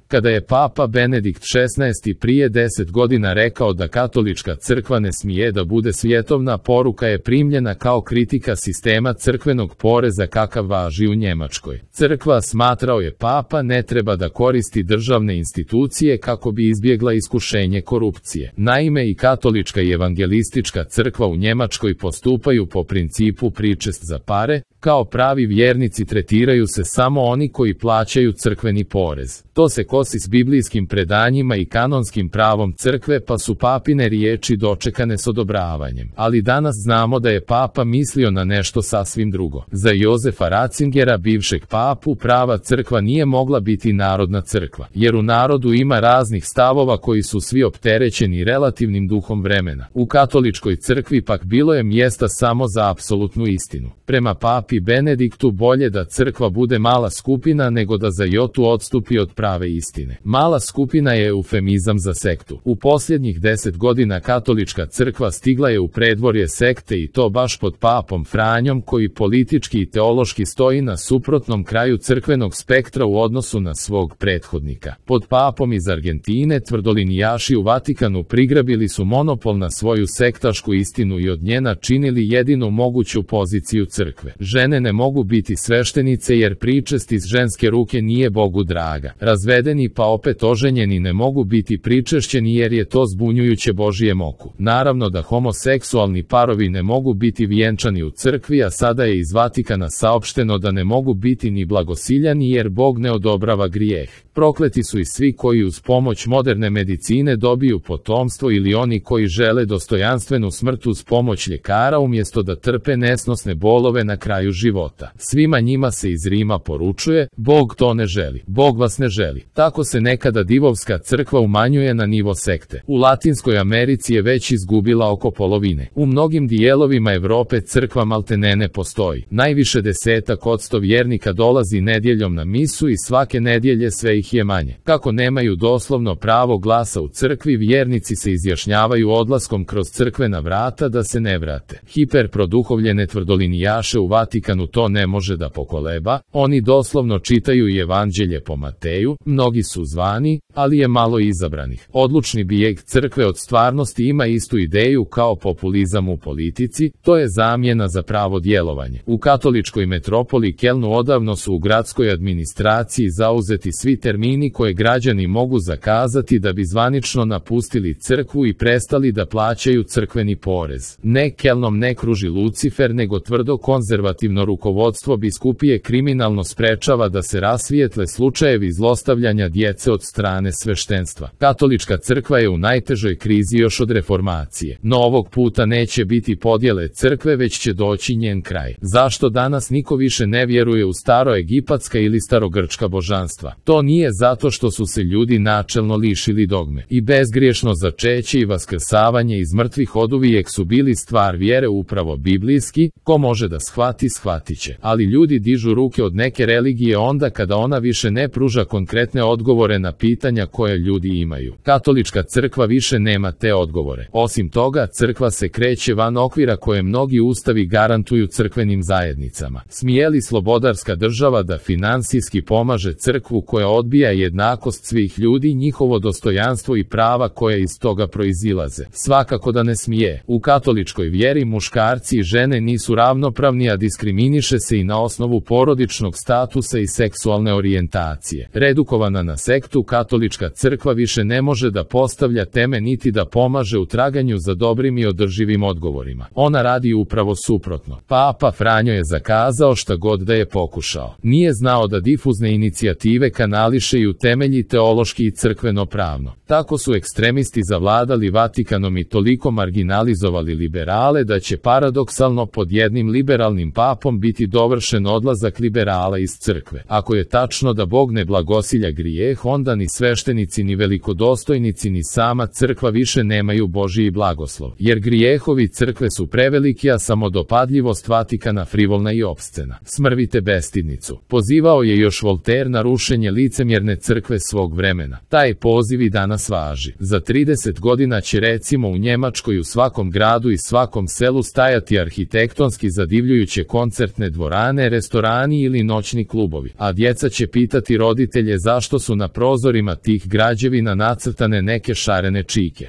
Kada je Papa Benedikt XVI prije 10 godina rekao da katolička crkva ne smije da bude svjetovna, poruka je primljena kao kritika sistema crkvenog poreza kakav važi u Njemačkoj. Crkva, smatrao je Papa, ne treba da koristi državne institucije kako bi izbjegla iskušenje korupcije. Naime, i katolička i evangelistička crkva u Njemačkoj postupaju po principu pričest za pare. Kao pravi vjernici tretiraju se samo oni koji plaćaju crkveni porez. To se kosi s biblijskim predanjima i kanonskim pravom crkve, pa su papine riječi dočekane s odobravanjem. Ali danas znamo da je Papa mislio na nešto sasvim drugo. Za Jozefa Ratzingera, bivšeg papu, prava crkva nije mogla biti narodna crkva, jer u narodu ima raznih stavova koji su svi opterećeni relativnim duhom vremena. U katoličkoj crkvi pak bilo je mjesta samo za apsolutnu istinu. Prema papi Benediktu bolje da crkva bude mala skupina nego da za jotu odstupi od prave istine. Mala skupina je eufemizam za sektu. U posljednjih 10 godina katolička crkva stigla je u predvorje sekte, i to baš pod papom Franjom, koji politički i teološki stoji na suprotnom kraju crkvenog spektra u odnosu na svog prethodnika. Pod papom iz Argentine tvrdolinijaši u Vatikanu prigrabili su monopol na svoju sektašku istinu i od nje načinili jedinu moguću poziciju crkve. Žene ne mogu biti sveštenice jer pričest iz ženske ruke nije Bogu draga. Razvedeni pa opet oženjeni ne mogu biti pričešćeni jer je to zbunjujuće Božijem oku. Naravno da homoseksualni parovi ne mogu biti vjenčani u crkvi, a sada je iz Vatikana saopšteno da ne mogu biti ni blagosiljani jer Bog ne odobrava grijeh. Prokleti su i svi koji uz pomoć moderne medicine dobiju potomstvo ili oni koji žele dostojanstvenu smrt uz pomoć ljekara umjesto da trpe nesnosne bolove na kraju života. Svima njima se iz Rima poručuje: Bog to ne želi, Bog vas ne želi. Tako se nekada divovska crkva umanjuje na nivo sekte. U Latinskoj Americi je već izgubila oko polovine. U mnogim dijelovima Europe crkva maltene ne postoji. Najviše 10% vjernika dolazi nedjeljom na misu i svake nedjelje sve ih je manje. Kako nemaju doslovno pravo glasa u crkvi, vjernici se izjašnjavaju odlaskom kroz crkvena vrata da se ne vrate. Hiperproduhovljene tvrdolinijaše u Vatikanu to ne može da pokoleba, oni doslovno čitaju i evanđelje po Mateju, mnogi su zvani, ali je malo izabranih. Odlučni bijeg crkve od stvarnosti ima istu ideju kao populizam u politici, to je zamjena za pravo djelovanje. U katoličkoj metropoli Kelnu odavno su u gradskoj administraciji zauzeti svi termini koje građani mogu zakazati da bi zvanično napustili crkvu i prestali da plaćaju crkveni porez. Ne Kelnom ne kruži Lucifer, nego tvrdo konzervativno rukovodstvo biskupije kriminalno sprečava da se rasvijetle slučajevi zlostavljanja djece od strane sveštenstva. Katolička crkva je u najtežoj krizi još od reformacije. No ovog puta neće biti podjele crkve, već će doći njen kraj. Zašto danas niko više ne vjeruje u staroegipatska ili starogrčka božanstva? To nije zato što su se ljudi načelno lišili dogme. I bezgriješno začeće i vaskrsavanje iz mrtvih oduvijek su bili stvar vjere upravo biblijski, ko može da shvati, shvatit će. Ali ljudi dižu ruke od neke religije onda kada ona više ne pruža konkretne odgovore na pitanja koje ljudi imaju. Katolička crkva više nema te odgovore. Osim toga, crkva se kreće van okvira koje mnogi ustavi garantuju crkvenim zajednicama. Smije li slobodarska država da finansijski pomaže crkvu koja odbija jednakost svih ljudi, njihovo dostojanstvo i prava koje iz toga proizilaze? Svakako da ne smije. U katoličkoj vjeri muškarci i žene nisu ravnopravni, a diskriminiše se i na osnovu porodičnog statusa i seksualne orijentacije. Redukovana na sektu, katolička crkva više ne može da postavlja teme niti da pomaže u traganju za dobrim i održivim odgovorima. Ona radi upravo suprotno. Papa Franjo je zakazao šta god da je pokušao. Nije znao da difuzne inicijative kanališe i utemelji teološki i crkveno pravno. Tako su ekstremisti zavladali Vatikanom i toliko marginalizovali liberale da će paradoksalno pod jednim liberalnim papom biti dovršen odlazak liberala iz crkve. Ako je tačno da Bog ne blagosilja grijeh, onda ni sveštenici ni velikodostojnici ni sama crkva više nemaju Božji blagoslov, jer grijehovi crkve su preveliki, a samodopadljivost Vatikana frivolna i opscena. Smrvite bestidnicu. Pozivao je još Voltaire na rušenje licemjerne crkve svog vremena. Taj poziv i danas važi. Za 30 godina će recimo u Njemačkoj u svakom gradu i svakom selu stajati arhitektonski zadivljujuće koncertne dvorane, restorani ili noćni klubovi, a djeca će pitati roditelje zašto zato su na prozorima tih građevina nacrtane neke šarene čike.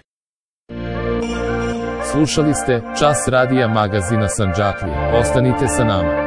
Slušali ste Čas radija magazina Sandžaklija. Ostanite sa nama.